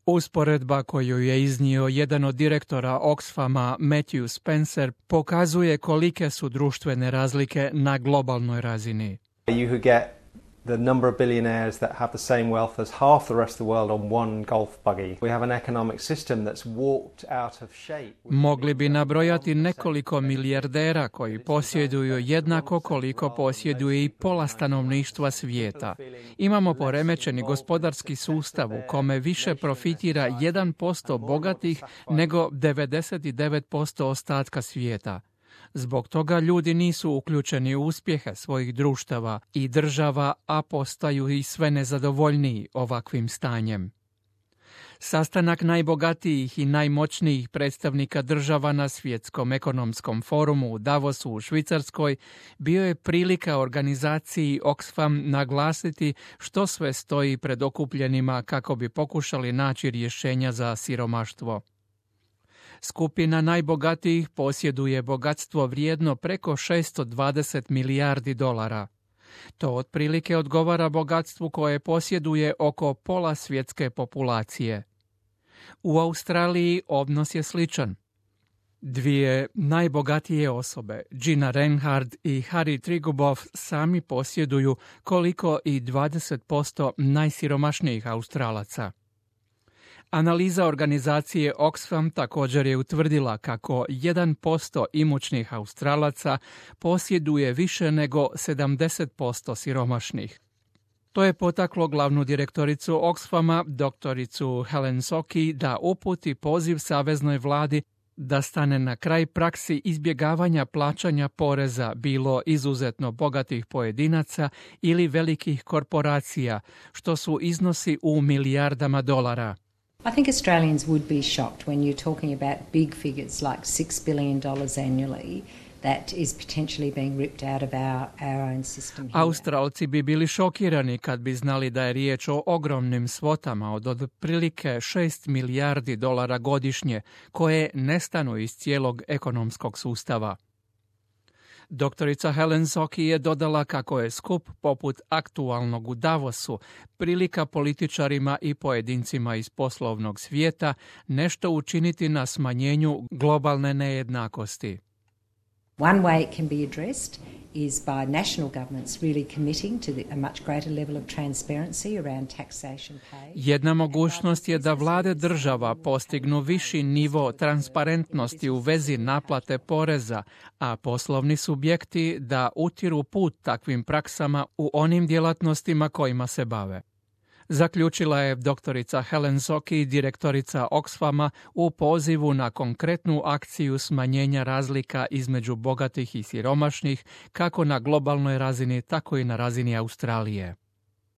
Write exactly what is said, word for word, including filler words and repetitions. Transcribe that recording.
Usporedba koju je iznio jedan od direktora Oxfama, Matthew Spencer, pokazuje kolike su društvene razlike na globalnoj razini. You could get the number of billionaires that have the same wealth as half the rest of the world on one golf buggy. We have an economic system that's walked out of shape. Mogli bi nabrojati nekoliko milijardera koji posjeduju jednako koliko posjeduje i pola stanovništva svijeta. Imamo poremećeni gospodarski sustav u kome više profitira jedan posto bogatih nego devedeset devet posto ostatka svijeta. Zbog toga ljudi nisu uključeni u uspjehe svojih društava i država, a postaju i sve nezadovoljniji ovakvim stanjem. Sastanak najbogatijih i najmoćnijih predstavnika država na Svjetskom ekonomskom forumu u Davosu u Švicarskoj bio je prilika organizaciji Oxfam naglasiti što sve stoji pred okupljenima kako bi pokušali naći rješenja za siromaštvo. Skupina najbogatijih posjeduje bogatstvo vrijedno preko šesto dvadeset milijardi dolara. To otprilike odgovara bogatstvu koje posjeduje oko pola svjetske populacije. U Australiji odnos je sličan. Dvije najbogatije osobe, Gina Rinehart i Harry Triguboff, sami posjeduju koliko i dvadeset posto najsiromašnijih Australaca. Analiza organizacije Oxfam također je utvrdila kako jedan posto imućnih Australaca posjeduje više nego sedamdeset posto siromašnih. To je potaklo glavnu direktoricu Oxfama, doktoricu Helen Sokey, da uputi poziv saveznoj vladi da stane na kraj praksi izbjegavanja plaćanja poreza bilo izuzetno bogatih pojedinaca ili velikih korporacija, što su iznosi u milijardama dolara. I think Australians would be shocked when you're talking about big figures like six billion dollars annually that is potentially being ripped out of our, our own system here. Australci bi bili šokirani kad bi znali da je riječ o ogromnim svotama od otprilike šest milijardi dolara godišnje koje nestanu iz cijelog ekonomskog sustava. Doktorica Helen Sokey je dodala kako je skup poput aktualnog u Davosu prilika političarima i pojedincima iz poslovnog svijeta nešto učiniti na smanjenju globalne nejednakosti. One way it can be addressed is by national governments really committing to the, a much greater level of transparency around taxation paid. Jedna mogućnost je da vlade država postignu viši nivo transparentnosti u vezi naplate poreza, a poslovni subjekti da utiru put takvim praksama u onim djelatnostima kojima se bave. Zaključila je doktorica Helen Sokey, direktorica Oxfama, u pozivu na konkretnu akciju smanjenja razlika između bogatih i siromašnih, kako na globalnoj razini, tako i na razini Australije.